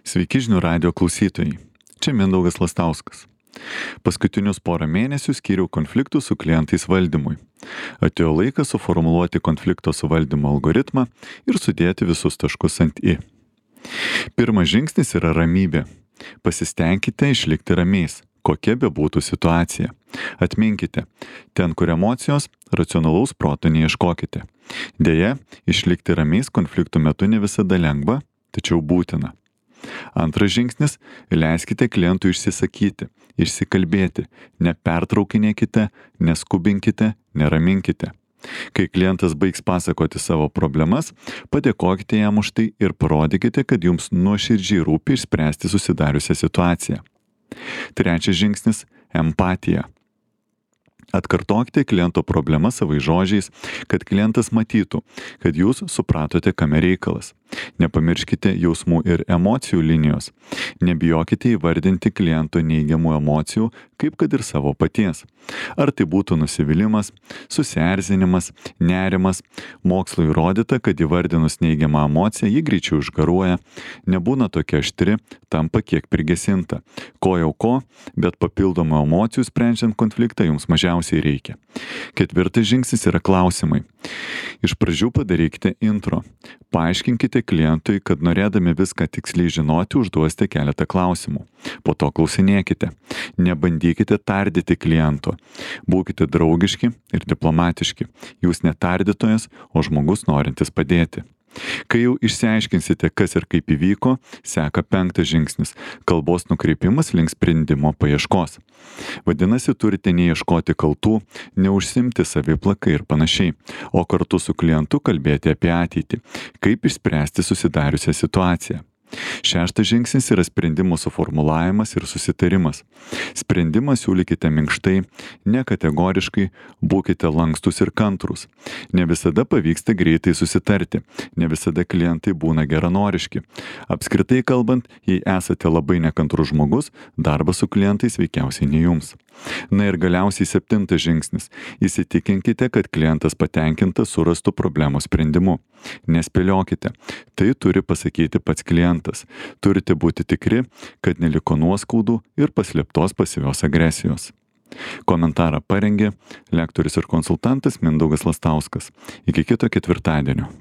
Sveiki žinių radio klausytojai. Čia Mindaugas Lastauskas. Paskutinius porą mėnesių skyriau konfliktų su klientais valdymui. Atėjo laikas suformuluoti konflikto suvaldymo algoritmą ir sudėti visus taškus ant i. Pirmas žingsnis yra ramybė. Pasistengkite išlikti ramiais, kokia bebūtų situacija. Atminkite, ten, kur emocijos, racionalaus proto neieškokite. Deja, išlikti ramiais konfliktų metu ne visada lengva, tačiau būtina. Antras žingsnis - leiskite klientui išsisakyti, išsikalbėti, nepertraukinėkite, neskubinkite, neraminkite. Kai klientas baigs pasakoti savo problemas, padėkokite jam už tai ir parodykite, kad jums nuoširdžiai rūpi išspręsti susidariusią situaciją. Trečias žingsnis - empatija. Atkartokite kliento problemą savais žodžiais, kad klientas matytų, kad jūs supratote, kame reikalas. Nepamirškite jausmų ir emocijų linijos. Nebijokite įvardinti kliento neigiamų emocijų, kaip kad ir savo paties. Ar tai būtų nusivylimas, susierzinimas, nerimas. Mokslo įrodyta, kad įvardinus neigiamą emociją ji greičiau išgaruoja, nebūna tokia aštri, tampa kiek prigesinta. Ko jau ko, bet papildomų emocijų sprendžiant konfliktą jums mažiausiai reikia. Ketvirtas žingsnis yra klausimai. Iš pradžių padarykite intro. Paaiškinkite klientui, kad norėdami viską tiksliai žinoti, užduosite keletą klausimų. Po to klausinėkite. Nebandykite tardyti kliento. Būkite draugiški ir diplomatiški. Jūs ne tardytojas, o žmogus norintis padėti. Kai jau išsiaiškinsite, kas ir kaip įvyko, seka penktas žingsnis - kalbos nukreipimas link sprendimo paieškos. Vadinasi, turite neieškoti kaltų, neužsimti saviplakai ir panašiai, o kartu su klientu kalbėti apie ateitį, kaip išspręsti susidariusią situaciją. Šeštas žingsnis yra sprendimo suformulavimas ir susitarimas. Sprendimą siūlykite minkštai, nekategoriškai, būkite lankstus ir kantrūs. Ne visada pavyksta greitai susitarti, ne visada klientai būna geranoriški. Apskritai kalbant, jei esate labai nekantrus žmogus, darbas su klientais veikiausiai ne jums. Na ir galiausiai septintas žingsnis. Įsitikinkite, kad klientas patenkintas surastų problemos sprendimu. Nespėliokite. Tai turi pasakyti pats klientas. Turite būti tikri, kad neliko nuoskaudų ir paslėptos pasyvios agresijos. Komentarą parengė lektorius ir konsultantas Mindaugas Lastauskas. Iki kito ketvirtadienio.